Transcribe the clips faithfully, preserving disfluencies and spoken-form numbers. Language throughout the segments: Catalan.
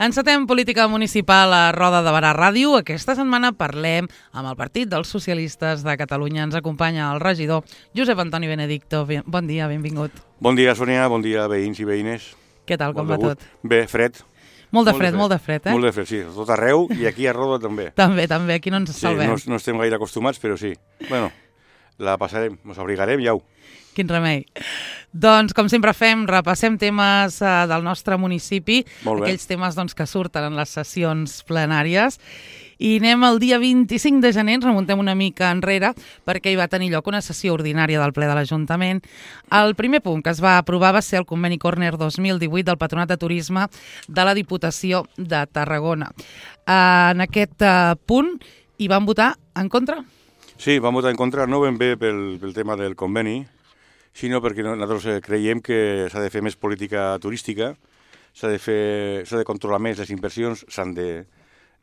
Encetem política municipal a Roda de Barà Ràdio. Aquesta setmana parlem amb el Partit dels Socialistes de Catalunya. Ens acompanya el regidor Josep Antoni Benedicto. Bon dia, benvingut. Bon dia, Sònia. Bon dia, veïns i veïnes. Què tal, com va tot? Bé, fred. Molt de fred, molt de fred, eh? Molt de fred, sí. A tot arreu i aquí a Roda també. També, també. Aquí no ens salvem. Sí, no, no estem gaire acostumats, però sí. Bueno, la passarem, ens abrigarem i au. Quin remei. Doncs, com sempre fem, repassem temes uh, del nostre municipi, aquells temes doncs, que surten en les sessions plenàries, i anem el dia vint-i-cinc de gener, ens remuntem una mica enrere, perquè hi va tenir lloc una sessió ordinària del ple de l'Ajuntament. El primer punt que es va aprovar va ser el conveni Corner dos mil divuit del Patronat de Turisme de la Diputació de Tarragona. Uh, en aquest uh, punt hi van votar en contra? Sí, vam votar en contra, no ben bé pel, pel tema del conveni, sinó perquè nosaltres creiem que s'ha de fer més política turística, s'ha de fer, s'ha de controlar més les inversions, s'han de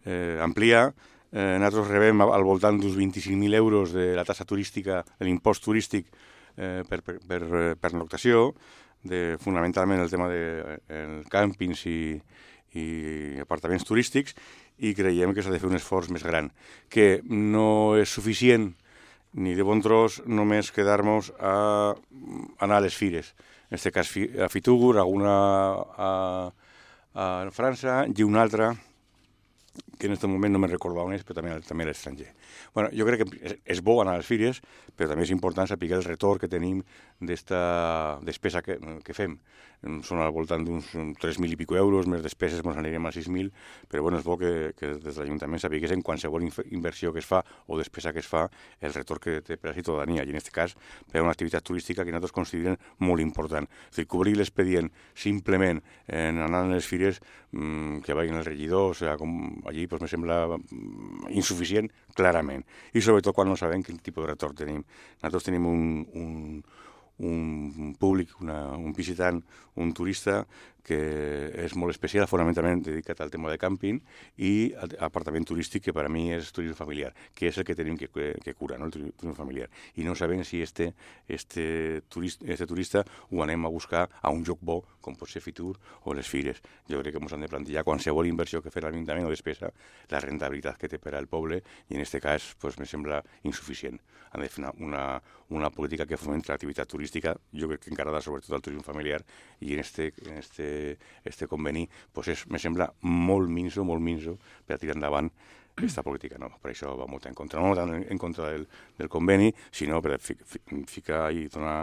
eh, ampliar. Eh, nosaltres rebem al voltant d'uns vint-i-cinc mil euros de la taxa turística, de l'impost turístic eh, per, per, per, per noctació, de, fonamentalment el tema de eh, càmpings i, i apartaments turístics, i creiem que s'ha de fer un esforç més gran, que no és suficient ni de bon tros només quedar-nos a anar a les fires. En aquest cas a Fitugur, alguna a, a França i una altra que en aquest moment no me'n recordo on és, però també, també a l'estranger. Bueno, jo crec que és bo anar a les fires, però també és important saber el retorn que tenim d'esta despesa que, que fem. Són al voltant d'uns tres mil i pico euros, més despeses ens anirem a sis mil, però bueno, és bo que, que des de l'Ajuntament sapigués en qualsevol inversió que es fa o despesa que es fa, el retorn que té per a la ciutadania, i en aquest cas per a una activitat turística que nosaltres considerem molt important. És a dir, cobrir l'expedient simplement en anar a les fires, mmm, que vagin els regidors, o sigui, com allí pues, me sembla insuficient, clarament. I sobretot quan no sabem quin tipus de retorn tenim. Nosaltres tenim un, un, un públic, una, un visitant, un turista que és molt especial, fonamentalment dedicat al tema de càmping i apartament turístic, que per a mi és turisme familiar, que és el que tenim que, que curar, no? El turisme familiar. I no sabem si este, este, turista, este turista ho anem a buscar a un lloc bo, com pot ser Fitur o les fires. Jo crec que ens han de plantejar qualsevol inversió que fer l'Ajuntament o despesa, la rentabilitat que té per al poble, i en aquest cas pues, me sembla insuficient. Han de fer una, una, una política que fomenta l'activitat turística, jo crec que encarada sobretot al turisme familiar, i en este, en este este conveni pues és, me sembla molt minso, molt minso per a tirar endavant aquesta política. No? Per això vam votar en contra. No tant en contra del, del conveni, sinó per fi, fi, ficar i donar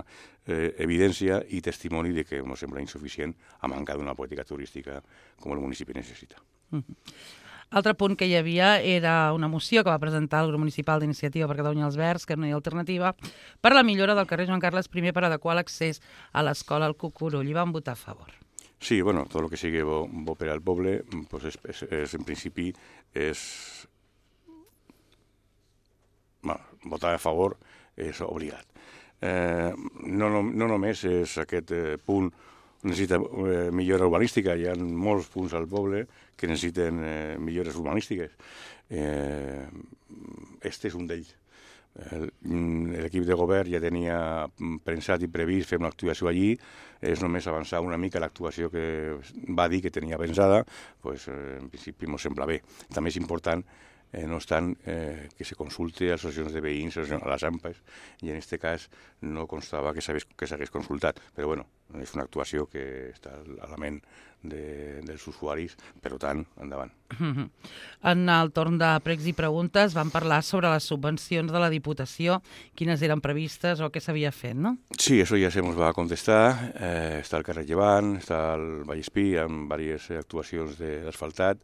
eh, evidència i testimoni de que ens sembla insuficient a mancar d'una política turística com el municipi necessita. Mm-hmm. Altre punt que hi havia era una moció que va presentar el grup municipal d'Iniciativa per Catalunya als Verds, que no hi ha alternativa, per la millora del carrer Joan Carles primer per adequar l'accés a l'escola al Cucurull. I van votar a favor. Sí, bueno, tot el que sigui bo, bo per al poble, pues és, és, és, en principi, és... Bueno, votar a favor és obligat. Eh, no, no, no només és aquest eh, punt necessita eh, millora urbanística, hi ha molts punts al poble que necessiten eh, millores urbanístiques. Eh, este és un d'ells. L'equip de govern ja tenia pensat i previst fer una actuació allí, és només avançar una mica l'actuació que va dir que tenia pensada, pues, eh, en principi ens sembla bé. També és important, eh, no obstant, eh, que se consulte a associacions de veïns, a les A M P A, i en aquest cas no constava que s'hagués consultat, però bueno, és una actuació que està a la ment de, dels usuaris, per tant, endavant. Mm-hmm. En el torn de pregs i preguntes van parlar sobre les subvencions de la Diputació, quines eren previstes o què s'havia fet, no? Sí, això ja se ens va contestar. Eh, està el carrer Llevant, està el Vallespí, amb diverses actuacions d'asfaltat,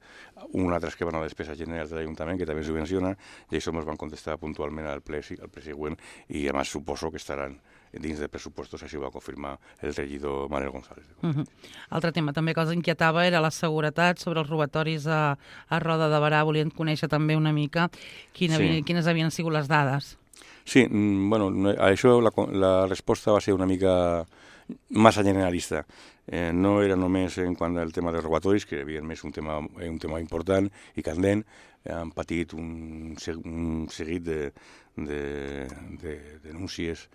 una altra que van a la despesa general de l'Ajuntament, que també subvenciona, i això ens van contestar puntualment al ple, al ple següent, i a més suposo que estaran dins de pressupostos, així ho va confirmar el regidor Manel González. Uh-huh. Altre tema també que els inquietava era la seguretat sobre els robatoris a, a Roda de Barà. Volien conèixer també una mica quina, sí. quines havien sigut les dades. Sí, bueno, a això la, la resposta va ser una mica massa generalista. Eh, no era només en quant al tema dels robatoris, que evidentment és un tema, un tema important i candent. Han patit un, un seguit de, de, de denúncies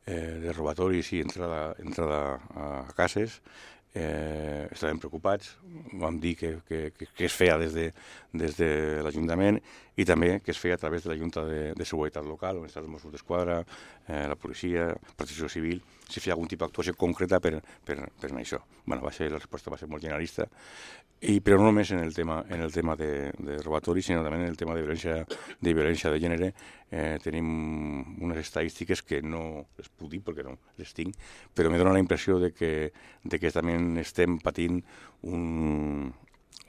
eh, de robatoris i entrada, entrada a cases. Eh, estàvem preocupats, vam dir que, que, que, que es feia des de, des de l'Ajuntament i també que es feia a través de la Junta de, de Seguretat Local, on estan els Mossos d'Esquadra, eh, la policia, protecció civil, si feia algun tipus d'actuació concreta per, per, per això. Bueno, va ser, la resposta va ser molt generalista, i, però no només en el tema, en el tema de, de robatori, sinó també en el tema de violència de, violència de gènere. Eh, tenim unes estadístiques que no les puc dir perquè no les tinc, però me dona la impressió de que, de que també estem patint un,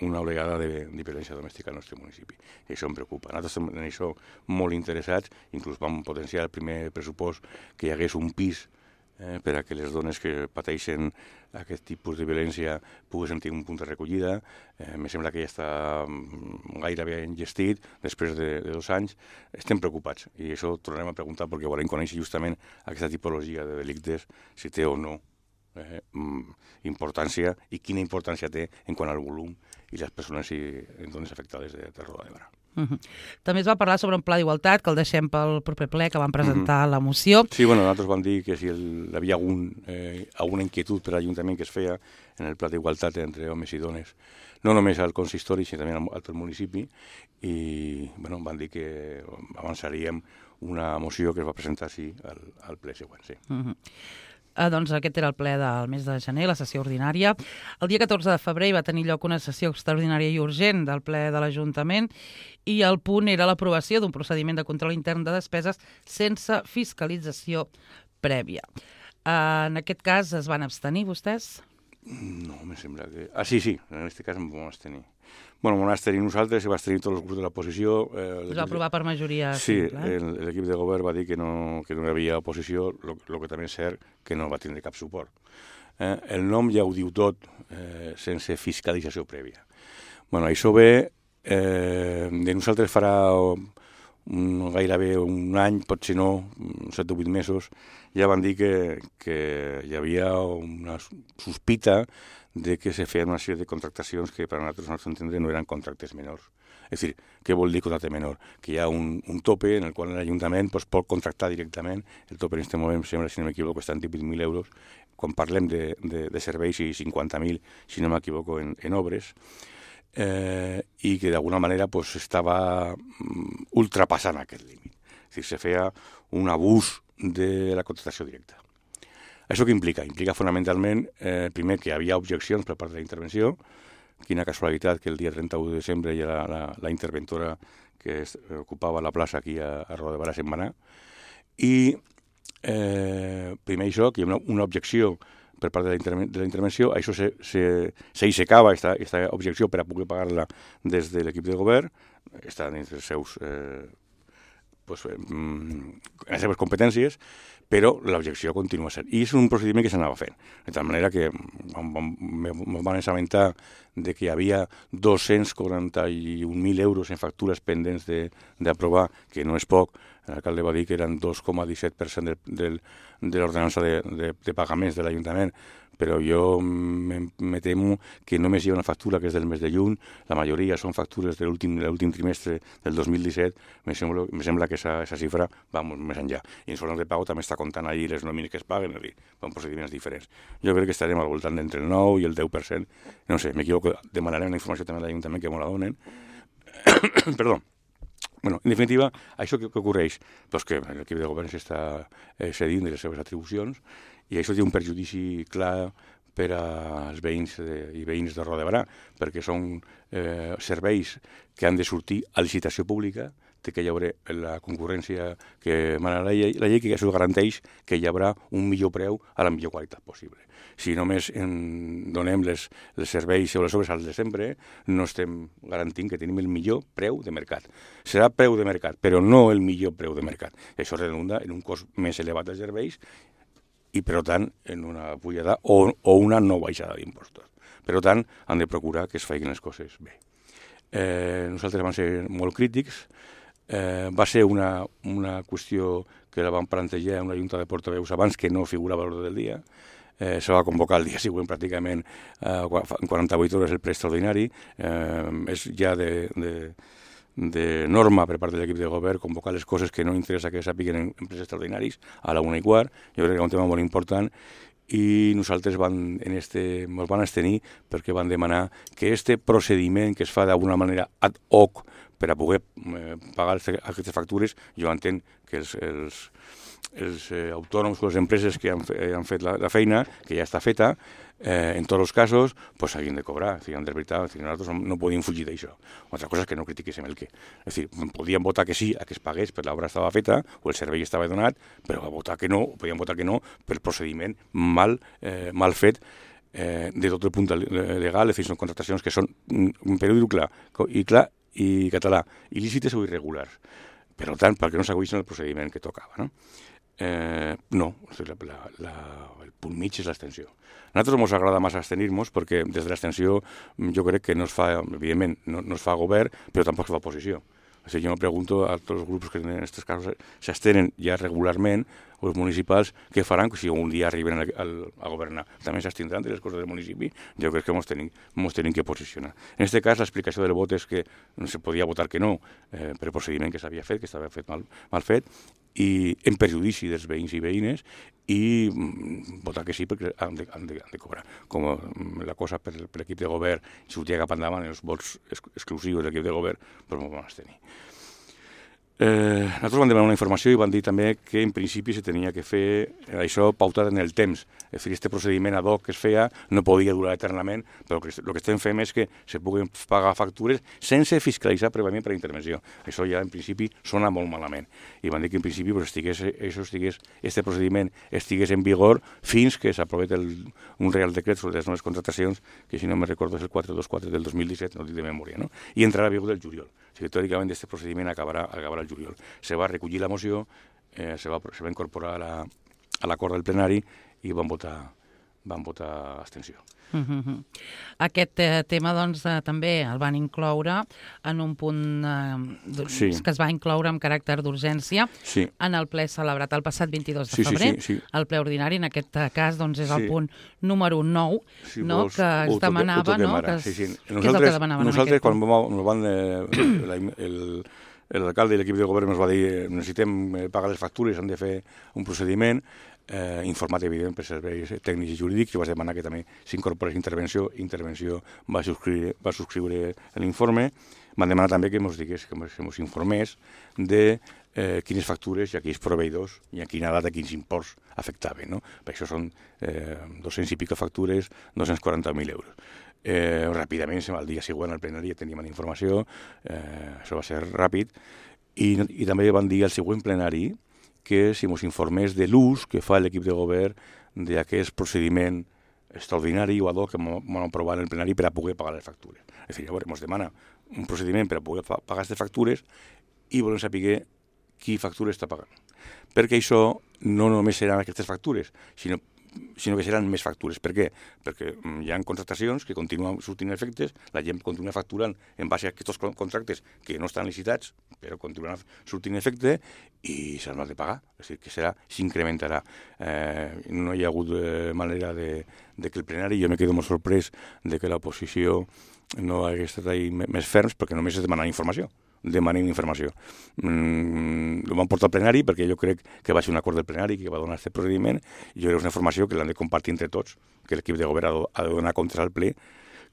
una oleada de, de violència domèstica al nostre municipi. I això em preocupa. Nosaltres estem en això molt interessats, inclús vam potenciar el primer pressupost que hi hagués un pis eh, per a que les dones que pateixen aquest tipus de violència poguessin tenir un punt de recollida. Eh, me sembla que ja està gairebé engestit després de, de dos anys. Estem preocupats i això tornarem a preguntar perquè volem conèixer justament aquesta tipologia de delictes, si té o no eh, importància i quina importància té en quant al volum i les persones i dones afectades de, de Roda de Barà. Uh -huh. També es va parlar sobre un pla d'igualtat que el deixem pel proper ple, que vam presentar uh -huh. la moció. Sí, bueno, nosaltres vam dir que si el, hi havia algun, eh, alguna inquietud per a l'Ajuntament que es feia en el pla d'igualtat entre homes i dones, no només al consistori, sinó també al, al municipi, i bueno, van dir que avançaríem una moció que es va presentar sí, al, al ple següent. Sí. Uh -huh. Eh, doncs aquest era el ple del mes de gener, la sessió ordinària. El dia catorze de febrer hi va tenir lloc una sessió extraordinària i urgent del ple de l'Ajuntament i el punt era l'aprovació d'un procediment de control intern de despeses sense fiscalització prèvia. Eh, en aquest cas es van abstenir vostès? No, me sembla que... Ah, sí, sí, en aquest cas em vam abstenir. Bueno, vam abstenir nosaltres, se va abstenir tots els grups de l'oposició. Eh, es va aprovar per majoria sí, simple. Sí, l'equip de govern va dir que no, que no hi havia oposició, el que també és cert que no va tindre cap suport. Eh, el nom ja ho diu tot, eh, sense fiscalització prèvia. Bueno, això ve, eh, de nosaltres farà un, gairebé un any, potser no, set o vuit mesos, ja van dir que, que hi havia una sospita de que se feien una sèrie de contractacions que per a nosaltres, no s'entendre, no eren contractes menors. És a dir, què vol dir contracte menor? Que hi ha un, un tope en el qual l'Ajuntament pues, pot contractar directament, el tope en aquest moment, sembla, si no m'equivoco, està en divuit mil euros, quan parlem de, de, de serveis i cinquanta mil, si no m'equivoco, en, en obres, eh, i que d'alguna manera pues, estava um, ultrapassant aquest límit. És a dir, se feia un abús de la contractació directa. Això què implica? Implica fonamentalment, eh, primer, que hi havia objeccions per part de la intervenció. Quina casualitat que el dia trenta-u de desembre ja la, la, la interventora que es, eh, ocupava la plaça aquí a, a Roda de Barà se'n va anar. I eh, primer això, que hi ha una, una objecció per part de la, interven de la intervenció, això s'aixecava, aquesta objecció per a poder pagar-la des de l'equip de govern, està dins dels seus... Eh, pues, eh, les seves competències, però l'objecció continua sent. I és un procediment que s'anava fent. De tal manera que em van assabentar de que hi havia dos-cents quaranta-un mil euros en factures pendents d'aprovar, que no és poc. L'alcalde va dir que eren dos coma disset per cent de, de, de l'ordenança de, de, de pagaments de l'Ajuntament, però jo me, me temo que només hi ha una factura que és del mes de juny, la majoria són factures de l'últim trimestre del dos mil disset, me sembla, me sembla que aquesta xifra va molt més enllà. I en zones de pagament també està comptant allí les nòmines que es paguen, són procediments diferents. Jo crec que estarem al voltant d'entre el nou i el deu per cent, no sé, m'equivoco, demanarem una informació també a l'Ajuntament que me la donen. Perdó. Bueno, en definitiva, això què, què ocorreix? Pues que l'equip de govern s'està eh, cedint de les seves atribucions i això té un perjudici clar per als veïns de, i veïns de Roda de Barà, perquè són eh, serveis que han de sortir a licitació pública, té que hi haurà la concurrència que mana la llei, la llei que això garanteix que hi haurà un millor preu a la millor qualitat possible. Si només en donem les, els serveis o les obres al de sempre, no estem garantint que tenim el millor preu de mercat. Serà preu de mercat, però no el millor preu de mercat. Això redunda en un cost més elevat de serveis i, per tant, en una pujada o, o una no baixada d'impostos. Per tant, han de procurar que es facin les coses bé. Eh, nosaltres vam ser molt crítics. Eh, va ser una, una qüestió que la vam plantejar en una junta de portaveus abans que no figurava a l'ordre del dia. Eh, se va convocar el dia següent pràcticament eh, en quaranta-vuit hores el ple extraordinari. Eh, és ja de, de, de norma per part de l'equip de govern, convocar les coses que no interessa que sàpiguen en empreses extraordinaris a la una i quart. Jo crec que és un tema molt important i nosaltres van, en este, ens van abstenir perquè van demanar que este procediment que es fa d'alguna manera ad hoc per a poder eh, pagar aquestes factures, jo entenc que els, els, els eh, autònoms o les empreses que han, fe, han fet la, la feina, que ja està feta, eh, en tots els casos, pues s'hagin de cobrar. És a dir, de veritat, és a dir, nosaltres no, no podíem fugir d'això. Una altra cosa és que no critiquéssim el què. És a dir, podíem votar que sí a que es pagués per l'obra estava feta o el servei estava donat, però a votar que no, podíem votar que no pel procediment mal, eh, mal fet eh, de tot el punt legal. És a dir, són contractacions que són, per dir-ho clar, i clar i català, il·lícites o irregulars. Per tant, perquè no s'aguïssin el procediment que tocava, no? Eh, no, la, la, la, el punt mig és l'abstenció. A nosaltres ens agrada massa abstenir-nos perquè des de l'abstenció jo crec que no es fa, evidentment, no, no es fa govern, però tampoc es fa oposició. O sigui, jo me pregunto a tots els grups que en aquests casos s'abstenen ja regularment, o els municipals, què faran si un dia arriben a, a, a governar? També s'abstindran de les coses del municipi? Jo crec que ens tenim, tenim que posicionar. En aquest cas, l'explicació del vot és que no se podia votar que no eh, per el procediment que s'havia fet, que estava fet mal, mal fet, i en perjudici dels veïns i veïnes, i mm, votar que sí perquè han de, han de, han de cobrar. Com mm, la cosa per, per l'equip de govern sortia cap endavant, els vots ex exclusius de l'equip de govern, però no van abstenir. Eh, nosaltres vam demanar una informació i van dir també que en principi se tenia que fer això pautat en el temps. És a dir, aquest procediment ad hoc que es feia no podia durar eternament, però el que, el que estem fent és que se puguin pagar factures sense fiscalitzar prèviament per la intervenció. Això ja en principi sona molt malament. I van dir que en principi pues, estigués, això estigués, este procediment estigués en vigor fins que s'aprovés un real decret sobre les noves contractacions, que si no me recordo és el quatre cents i vint quatre del dos mil disset, no dic de memòria, no? I entrarà a vigor del juliol. O sigui, teòricament, aquest procediment acabarà, acabarà el juliol. Se va recollir la moció, eh, se, va, se va incorporar a l'acord del plenari i van votar, van votar abstenció. Uh-huh. Aquest eh, tema doncs, eh, també el van incloure en un punt eh, sí. que es va incloure amb caràcter d'urgència sí. en el ple celebrat el passat vint-i-dos de sí, febrer. Sí, sí, sí. El ple ordinari, en aquest cas, doncs, és el sí. punt número nou, si no? vols, que es demanava... No? Que es, sí, sí. Nosaltres, què és el que demanaven nosaltres quan punt? van, eh, el, l'alcalde i l'equip de govern ens va dir necessitem pagar les factures, han de fer un procediment eh, informat, evident, per serveis tècnics i jurídics, i vas demanar que també s'incorporés intervenció. Intervenció va subscriure, va subscriure l'informe. Van demanar també que ens digués, que ens informés de eh, quines factures i a quins proveïdors i a quina data, quins imports afectaven. No? Per això són eh, dos-cents i pico factures, dos-cents quaranta mil euros. Eh, ràpidament, el dia següent al plenari ja teníem la informació, eh, això va ser ràpid, i, i també van dir al següent plenari que si ens informés de l'ús que fa l'equip de govern d'aquest procediment extraordinari o ad hoc que vam aprovar en el plenari per a poder pagar les factures. És a dir, llavors ens demana un procediment per a poder pagar aquestes factures i volem saber qui factura està pagant. Perquè això no només seran aquestes factures, sinó sinó que seran més factures. Per què? Perquè hi ha contractacions que continuen sortint efectes, la gent continua facturant en base a aquests contractes que no estan licitats, però continuen sortint efecte i s'han de pagar. És a dir, que serà, s'incrementarà. Eh, no hi ha hagut eh, manera de, de que el plenari, jo me quedo molt sorprès de que l'oposició no hagués estat ahí més ferms, perquè només es demana informació. demanin informació. Mm, ho vam portar al plenari perquè jo crec que va ser un acord del plenari que va donar aquest procediment i jo crec que és una informació que l'han de compartir entre tots, que l'equip de govern ha de donar comptes al ple,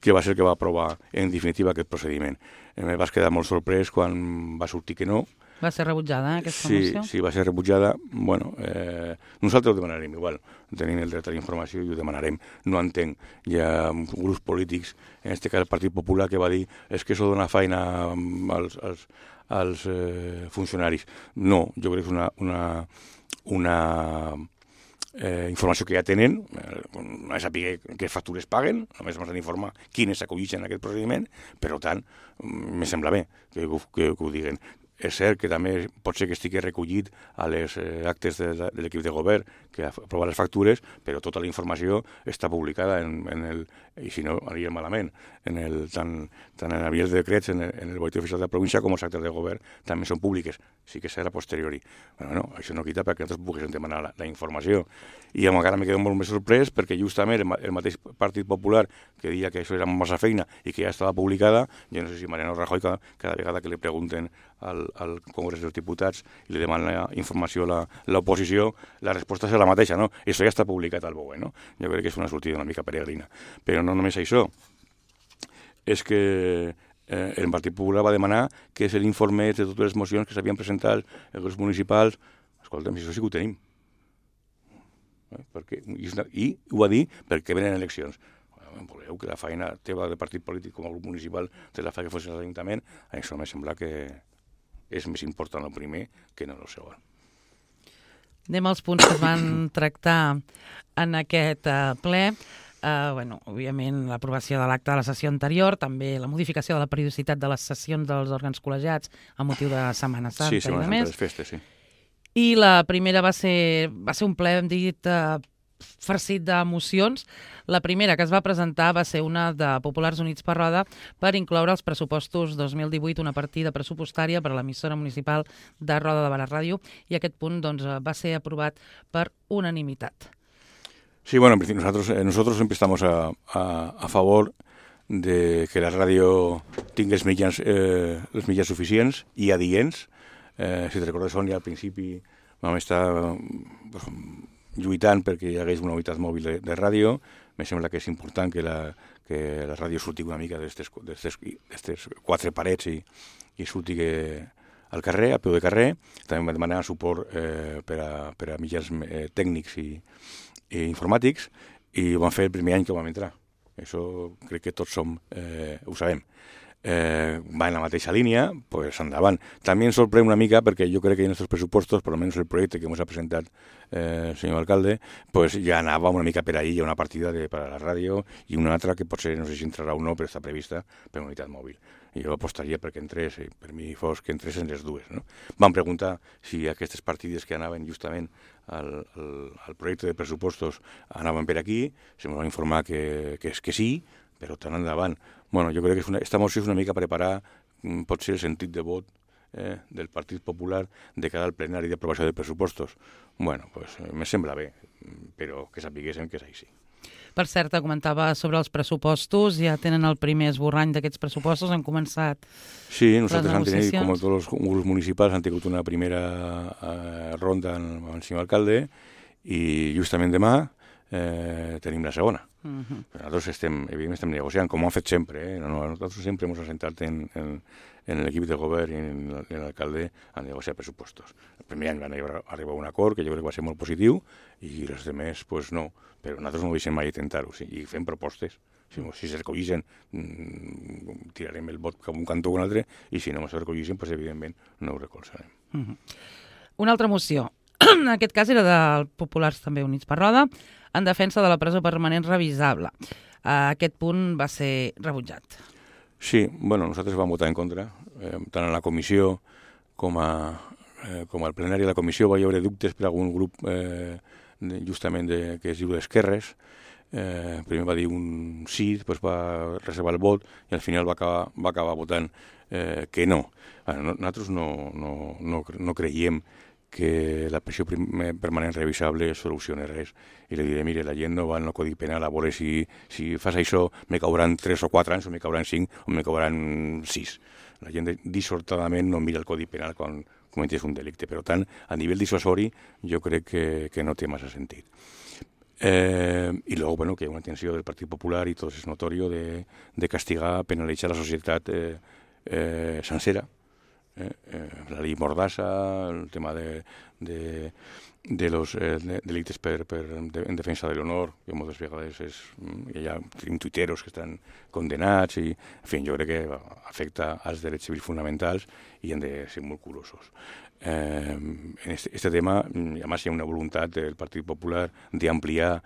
que va ser el que va aprovar en definitiva aquest procediment. Em vas quedar molt sorprès quan va sortir que no. Va ser rebutjada, aquesta sí, moció? Sí, va ser rebutjada. Bueno, eh, nosaltres ho demanarem igual. Tenim el dret a la informació i ho demanarem. No entenc. Hi ha grups polítics, en aquest cas el Partit Popular, que va dir és que això dona feina als, als, als eh, funcionaris. No, jo crec que és una, una, una eh, informació que ja tenen, eh, no és saber què factures paguen, només ens han d'informar quines s'acollixen en aquest procediment, per tant, me sembla bé que, que, que ho diguen. és cert que també pot ser que estigui recollit a les eh, actes de, de l'equip de govern que aprova les factures, però tota la informació està publicada en, en el, i si no, aniria malament, en el, tant, tant en el de decrets, en el, en el boletín oficial de la província com els actes de govern també són públiques, sí que serà posteriori. Però no, això no quita perquè nosaltres poguéssim demanar la, la informació. I encara me quedo molt més sorprès perquè justament el, el mateix Partit Popular que deia que això era massa feina i que ja estava publicada, jo no sé si Mariano Rajoy cada, cada vegada que li pregunten al, al Congrés dels Diputats i li demanen la informació a l'oposició, la resposta és la mateixa, no? Això ja està publicat al B O E, no? Jo crec que és una sortida una mica peregrina. Però no només això, és que eh, el Partit Popular va demanar que és l'informe de totes les mocions que s'havien presentat els grups municipals. Escolta'm, si això sí que ho tenim. Eh? Perquè, i, I ho va dir perquè venen eleccions. Voleu que la feina teva de partit polític com a grup municipal te la fa que fos l'Ajuntament, això me sembla que és més important el primer que no el segon. Anem als punts que es van tractar en aquest uh, ple. Uh, bueno, òbviament, l'aprovació de l'acte de la sessió anterior, també la modificació de la periodicitat de les sessions dels òrgans col·legiats a motiu de Setmana Santa. Sí, Setmana Santa, les festes, sí. I la primera va ser, va ser un ple, hem dit, uh, farcit d'emocions. La primera que es va presentar va ser una de Populars Units per Roda per incloure als pressupostos dos mil divuit una partida pressupostària per a l'emissora municipal de Roda de Barà Ràdio, i aquest punt doncs, va ser aprovat per unanimitat. Sí, bueno, en principio nosotros, eh, nosotros siempre estamos a, a, a favor de que la ràdio tingui els mitjans, eh, els mitjans suficients i adients. Eh, si te recordes, Sònia, al principi vam estar pues, lluitant perquè hi hagués una unitat mòbil de, de ràdio. Me sembla que és important que la, que la ràdio surti una mica d'aquestes quatre parets i, i surti que, al carrer, a peu de carrer. També va demanar suport eh, per, a, per a mitjans eh, tècnics i, i informàtics, i ho vam fer el primer any que vam entrar. Això crec que tots som, eh, ho sabem. Eh, va en la mateixa línia, pues endavant. També ens sorprèn una mica perquè jo crec que en els pressupostos, per almenys el projecte que ens ha presentat eh, el senyor alcalde, pues ja anava una mica per ahí, hi ha una partida de, per a la ràdio i una altra que potser no sé si entrarà o no, però està prevista per unitat mòbil. I jo apostaria perquè entrés, i per mi fos que entrés en les dues. No? Vam preguntar si aquestes partides que anaven justament al, al, al projecte de pressupostos anaven per aquí, se ens va informar que, que és que sí, però tant endavant. Bueno, jo crec que és una, esta moció és una mica preparar potser el sentit de vot eh, del Partit Popular de cara al plenari d'aprovació de pressupostos. Bueno, pues me sembla bé, però que sapiguéssim que és així. Per cert, comentava sobre els pressupostos, ja tenen el primer esborrany d'aquests pressupostos, han començat sí, nosaltres les negociacions. Sí, com tots els grups municipals han tingut una primera eh, ronda amb el senyor alcalde i justament demà eh, tenim la segona. Uh-huh. Nosaltres estem, evidentment, estem negociant, com ho hem fet sempre. Eh? No, no, nosaltres sempre hem assentat en, en, en l'equip de govern i en, en l'alcalde a negociar pressupostos. El primer any van arribar a un acord que jo crec que va ser molt positiu i els altres, pues no. Però nosaltres no ho deixem mai intentar-ho, sí, i fem propostes. Si, si se recollisen, mmm, tirarem el vot cap un cantó o un altre, i si no se recollisen, pues, evidentment, no ho recolzarem. Uh-huh. Una altra moció. En aquest cas era de Populars també Units per Roda, en defensa de la presó permanent revisable. Aquest punt va ser rebutjat. Sí, bueno, nosaltres vam votar en contra, eh, tant en la comissió com, a, eh, com al plenari de la comissió va haver dubtes per algun grup eh, de, justament de, que es diu d'esquerres. Eh, primer va dir un sí, després va reservar el vot i al final va acabar, va acabar votant eh, que no. Bueno, nosaltres no, no, no, no creiem que la pressió permanent revisable soluciona res. I li diré, mire, la gent no va al Codi Penal a veure si, si fas això me cauran tres o quatre anys, o me cauran cinc, o me cauran sis. La gent dissortadament no mira el Codi Penal quan cometés un delicte. Per tant, a nivell dissuasori, jo crec que, que no té massa sentit. Eh, I luego, bueno, que hi ha una intenció del Partit Popular, i tot és notori, de, de castigar, penalitzar la societat eh, eh, sencera. Eh, eh, la llei Mordassa, el tema de, de, de los eh, de, delictes per, per, de, en defensa de l'honor, que moltes vegades és, hi ha tuiteros que estan condenats, i, en fi, jo crec que afecta als drets civils fonamentals i han de ser molt curosos. Eh, en este, este tema, a més, hi ha una voluntat del Partit Popular d'ampliar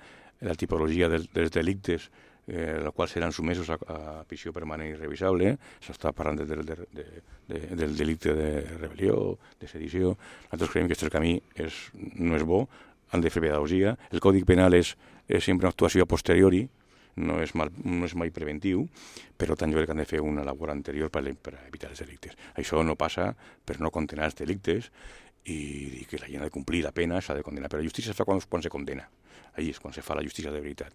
la tipologia dels, dels delictes eh, els quals seran sumesos a, a prisió permanent i revisable. S'està parlant de, de, de, de, de, del delicte de rebel·lió, de sedició. Nosaltres creiem que aquest camí és, no és bo, han de fer pedagogia. El Codi Penal és, és sempre una actuació a posteriori, no és, mal, no és mai preventiu, però tant jo crec que han de fer una labor anterior per, per evitar els delictes. Això no passa per no condenar els delictes i, i que la gent ha de complir la pena, s'ha de condenar. Però la justícia es fa quan, quan se condena. Allí és quan se fa la justícia de veritat.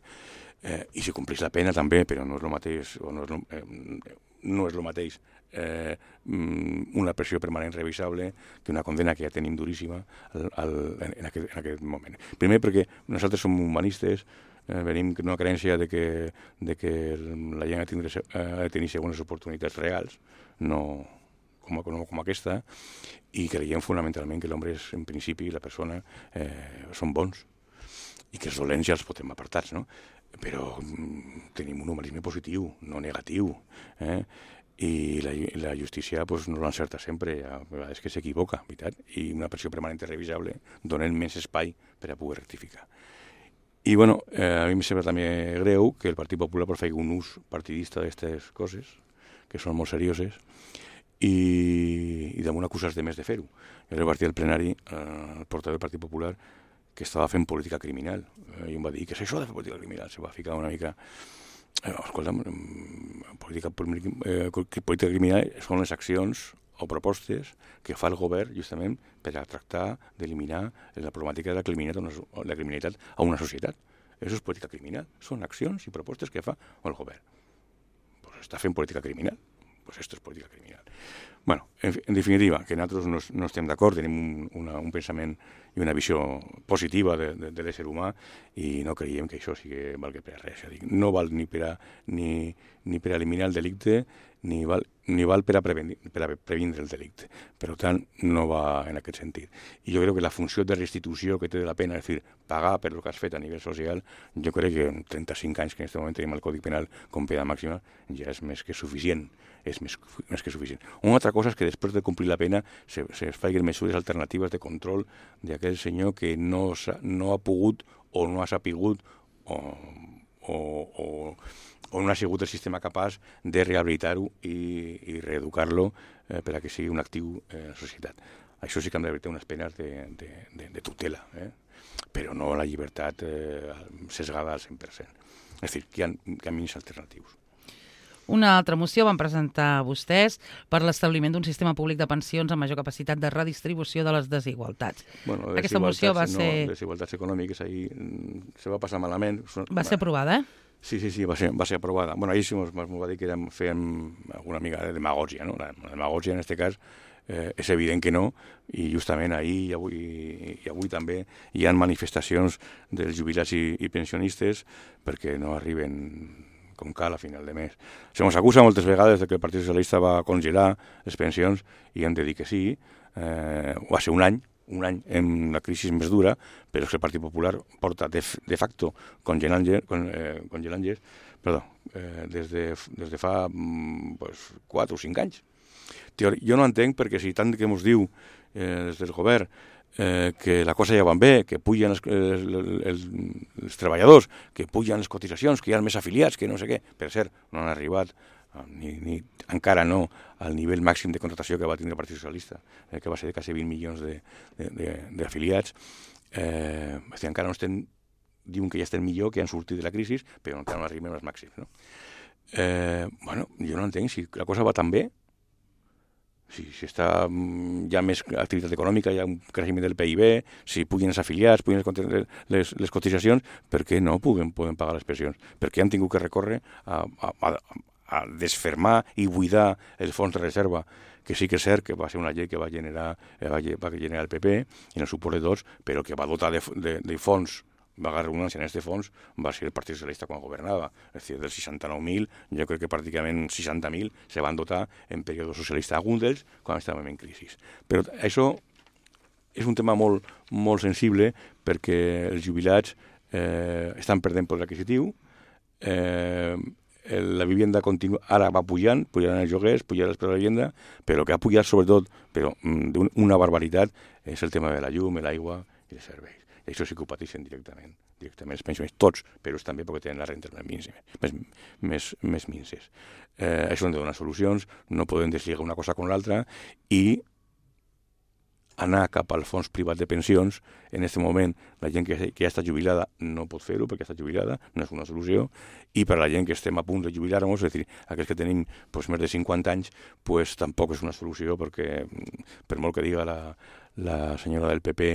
Eh, I si complís la pena també, però no és el mateix, o no és lo, eh, no és el mateix eh, una pressió permanent revisable que una condena que ja tenim duríssima al, al, en, aquest, en aquest moment. Primer perquè nosaltres som humanistes, eh, venim d'una creencia de que, de que la gent ha de, tindre, ha de tenir segones oportunitats reals, no com, com, com aquesta, i creiem fonamentalment que l'home és, en principi, la persona, eh, són bons, i que els dolents ja els podem apartar, no? Però mm, tenim un humanisme positiu, no negatiu, eh? I la, la justícia pues, no l'encerta sempre, a vegades que s'equivoca, veritat? I una pressió permanent revisable donen més espai per a poder rectificar. I bueno, eh, a mi em sembla també greu que el Partit Popular pues, faci un ús partidista d'aquestes coses, que són molt serioses, i, i damunt acusar de més de fer-ho. Jo vaig dir al plenari, eh, el portaveu del Partit Popular, que estava fent política criminal. Eh, I em va dir, què és això de fer política criminal? Se va ficar una mica... Eh, escolta, política, eh, política criminal són les accions o propostes que fa el govern justament per a tractar d'eliminar la problemàtica de la criminalitat, una, la criminalitat a una societat. Això és política criminal. Són accions i propostes que fa el govern. Pues està fent política criminal. Pues esto es política criminal. Bueno, en, en definitiva, que nosaltres no, no estem d'acord, tenim un, una, un pensament i una visió positiva de, de, de l'ésser humà i no creiem que això sigui valgui per a res. No val ni per a, ni, ni per a eliminar el delicte ni val, ni val per a, prevenir, per a previndre el delicte. Per tant, no va en aquest sentit. I jo crec que la funció de restitució que té de la pena, és a dir, pagar per el que has fet a nivell social, jo crec que en trenta-cinc anys que en aquest moment tenim el Codi Penal com pena màxima, ja és més que suficient. És més, més que suficient. Una altra cosa és que després de complir la pena se, se facin mesures alternatives de control d'aquell senyor que no, no ha pogut o no ha sapigut o, o, o, o no ha sigut el sistema capaç de rehabilitar-ho i, i reeducar-lo eh, per a que sigui un actiu eh, en la societat. Això sí que han de unes penes de, de, de, de tutela, eh? Però no la llibertat eh, sesgada al cent per cent. És a dir, que hi ha camins alternatius. Una altra moció van presentar vostès per l'establiment d'un sistema públic de pensions amb major capacitat de redistribució de les desigualtats. Bueno, Aquesta moció va no, ser... desigualtats econòmiques, ahir se va passar malament. Va ser aprovada, eh? Sí, sí, sí, va ser, va ser aprovada. Bueno, ahir sí m'ho va dir que érem, fèiem alguna mica de demagògia, no? La demagògia, en aquest cas, eh, és evident que no, i justament ahir i avui, i avui també hi ha manifestacions dels jubilats i, i pensionistes perquè no arriben com cal a final de mes. Se mos acusa moltes vegades de que el Partit Socialista va congelar les pensions i hem de dir que sí. Eh, va ser un any, un any en la crisi més dura, però és que el Partit Popular porta de, de facto congelant, con, eh, congelant perdó, eh, des, de, des de fa pues, quatre o cinc anys. Jo no entenc perquè si tant que ens diu eh, des del govern Eh, que la cosa ja va bé, que pugen els, els, els, els treballadors, que pugen les cotitzacions, que hi ha més afiliats, que no sé què. Per cert, no han arribat, ni, ni, encara no, al nivell màxim de contractació que va tindre el Partit Socialista, eh, que va ser de quasi vint milions d'afiliats. Eh, encara no estem, diuen que ja estem millor, que han sortit de la crisi, però encara no arribem als màxims. No? Eh, bueno, jo no entenc, si la cosa va tan bé, si, si està, hi ha més activitat econòmica, hi ha un creixement del P I B, si pugen els afiliats, pugen les, les, les cotitzacions, per què no puguen, poden pagar les pensions? Per què han tingut que recórrer a, a, a, a desfermar i buidar el fons de reserva, que sí que és cert que va ser una llei que va generar, va, va generar el P P i el suport de tots, però que va dotar de, de, de fons, va agarrar redundància en aquest fons, va ser el Partit Socialista quan governava. És a dir, dels seixanta-nou mil, jo crec que pràcticament seixanta mil se van dotar en període socialista, alguns d'ells quan estàvem en crisi. Però això és un tema molt, molt sensible perquè els jubilats eh, estan perdent poder adquisitiu, eh, la vivenda continua, ara va pujant, pujant els lloguers, pujant els preus de la vivenda, però el que ha pujat sobretot, però d'una barbaritat, és el tema de la llum, l'aigua i els serveis. I això sí que ho pateixen directament, directament els pensionistes, tots, però és també perquè tenen les rentes més, més, més, més minces. Eh, això han de donar solucions, no podem deslligar una cosa con l'altra i anar cap al fons privat de pensions. En aquest moment, la gent que, que ja està jubilada no pot fer-ho perquè està jubilada, no és una solució, i per a la gent que estem a punt de jubilar-nos, és a dir, aquells que tenim pues, més de cinquanta anys, pues, tampoc és una solució perquè, per molt que diga la, la senyora del P P,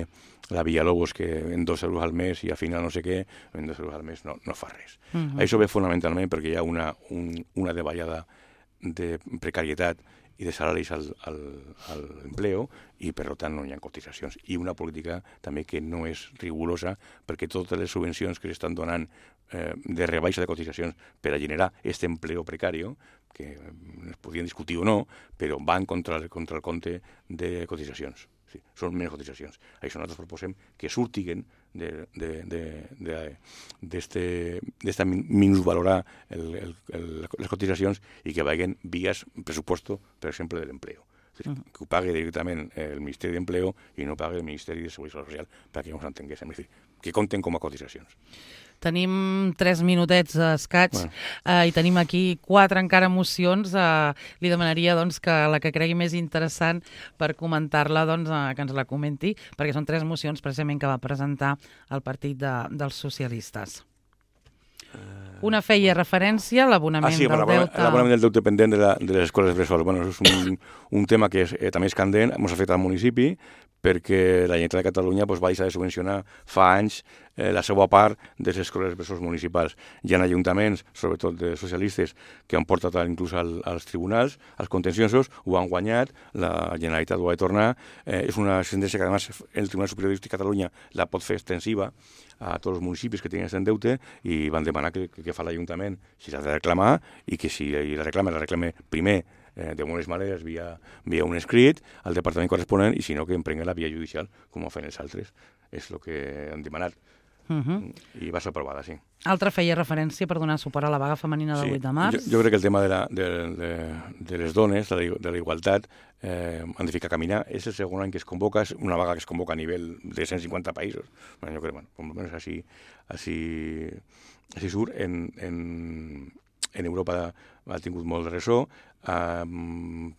la Villalobos, que en dos euros al mes i al final no sé què, en dos euros al mes no, no fa res. Uh-huh. Això ve fonamentalment perquè hi ha una, un, una davallada de precarietat i de salaris al, al, al empleo i per tant no hi ha cotitzacions. I una política també que no és rigorosa perquè totes les subvencions que s'estan donant eh, de rebaixa de cotitzacions per a generar aquest empleo precari, que es podien discutir o no, però van contra el, contra el compte de cotitzacions. Sí, són menys cotitzacions. Això nosaltres proposem que surtiguen d'esta minusvalorar el, el, el, les cotitzacions i que vagin vies pressuposto, per exemple, de l'empleo. Que ho pagui directament el Ministeri d'Empleo i no pagui el Ministeri de Seguretat Social, perquè no s'entenguéssim, és a dir, que compten com a cotitzacions. Tenim tres minutets escats bueno. eh, i tenim aquí quatre encara mocions. Eh, li demanaria doncs, que la que cregui més interessant per comentar-la, doncs, eh, que ens la comenti, perquè són tres mocions precisament que va presentar el Partit de, dels Socialistes. Una feia referència a l'abonament ah, sí, del deute... l'abonament del deute pendent de, la, de les escoles bressol. Bueno, és un, un tema que és, eh, també és candent, ens afecta al municipi, perquè la Generalitat de Catalunya pues, va deixar de subvencionar fa anys eh, la seva part de les escoles bressol municipals. Hi ha ajuntaments, sobretot de socialistes, que han portat inclús al, als tribunals, als contenciosos, ho han guanyat, la Generalitat ho ha de tornar. Eh, és una sentència que, a més, el Tribunal Superior de Catalunya la pot fer extensiva a tots els municipis que tenen aquest deute i van demanar que, que, que fa l'Ajuntament si s'ha de reclamar i que si la reclama, la reclame primer eh, de bones maneres via, via un escrit al departament corresponent i si no que emprengui la via judicial com ho fan els altres. És el que han demanat. Uh-huh. I va ser aprovada, sí. Altra feia referència per donar suport a la vaga femenina del sí. vuit de març. Jo, jo crec que el tema de, la, de, de, de les dones, de la, de la igualtat, eh, han de ficar a caminar. És el segon any que es convoca, és una vaga que es convoca a nivell de cent cinquanta països. Bueno, jo crec, bueno, com almenys així, així, així surt. En, en, en Europa ha tingut molt de ressò. Um,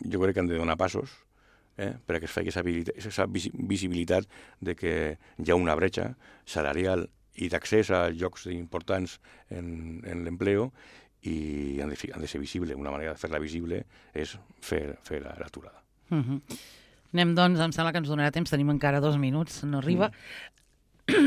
jo crec que han de donar passos, Eh, perquè es faci aquesta visibilitat de que hi ha una bretxa salarial i d'accés a llocs importants en, en l'empleo i han de, han de ser visible. Una manera de fer-la visible és fer, fer l'aturada. Uh-huh. Anem, doncs, em sembla que ens donarà temps, tenim encara dos minuts, no arriba. Mm.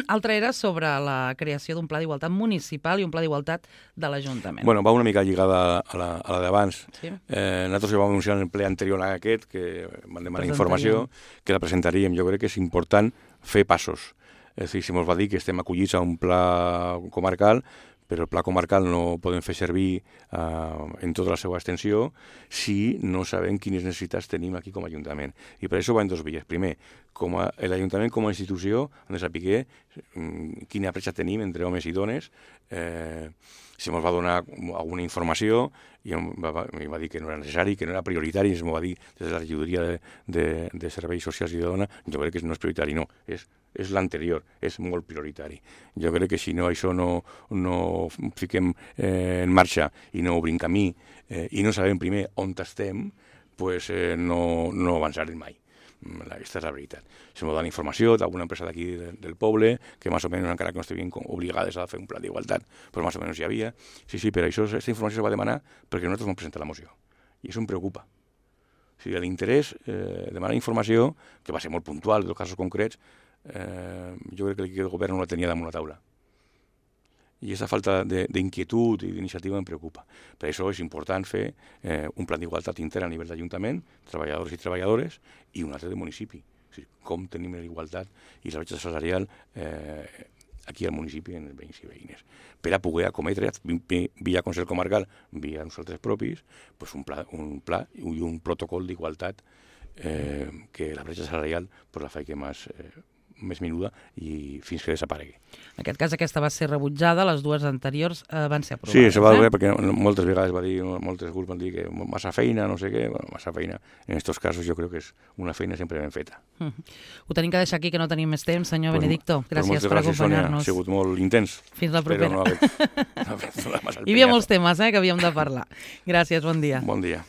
Altra era sobre la creació d'un pla d'igualtat municipal i un pla d'igualtat de l'Ajuntament. Bueno, va una mica lligada a la, a la d'abans. Sí. Eh, nosaltres ja vam anunciar en el ple anterior a aquest, que van demanar informació, que la presentaríem. Jo crec que és important fer passos. És a dir, si ens va dir que estem acollits a un pla comarcal, però el pla comarcal no podem fer servir uh, en tota la seva extensió si no sabem quines necessitats tenim aquí com a Ajuntament. I per això va en dos vies. Primer, com a, l'Ajuntament com a institució han de saber um, quina bretxa tenim entre homes i dones, eh, si ens va donar alguna informació i em va, em va dir que no era necessari, que no era prioritari, i ens va dir des de la regidoria de, de, de serveis socials i de dona, jo crec que no és prioritari, no, és, és l'anterior, és molt prioritari. Jo crec que si no això no, no fiquem eh, en marxa i no obrim camí eh, i no sabem primer on estem, pues, eh, no, no avançarem mai. Aquesta és la veritat. Se m'ha donat informació d'alguna empresa d'aquí de, del poble que més o menys, encara que no estiguin obligades a fer un pla d'igualtat, però més o menys hi havia. Sí, sí, però això, aquesta informació se va demanar perquè nosaltres vam presentar la moció. I això em preocupa. O sigui, l'interès eh, demanar informació, que va ser molt puntual dels casos concrets, eh, jo crec que l'equip del govern no la tenia damunt la taula. I aquesta falta d'inquietud i d'iniciativa em preocupa. Per això és important fer eh, un pla d'igualtat intern a nivell d'Ajuntament, treballadors i treballadores, i un altre de municipi. O sigui, com tenim l'igualtat i la bretxa salarial eh, aquí al municipi, en els veïns i veïnes. Per a poder acometre, via Consell Comarcal, via nosaltres propis, pues un, pla, un pla i un protocol d'igualtat eh, que la bretxa salarial pues la faci més, eh, més menuda i fins que desaparegui. En aquest cas aquesta va ser rebutjada, les dues anteriors eh, van ser aprovades. Sí, se va eh? veure perquè moltes vegades va dir, moltes grups van dir que massa feina, no sé què, bueno, massa feina. En aquests casos jo crec que és una feina sempre ben feta. Mm -hmm. Ho tenim que deixar aquí, que no tenim més temps, senyor pues, Benedicto. Gràcies pues per gràcies, acompanyar-nos. Ha sigut molt intens. Fins la propera. Però no ha fet, no ha fet Hi havia molts temes eh, que havíem de parlar. Gràcies, bon dia. Bon dia.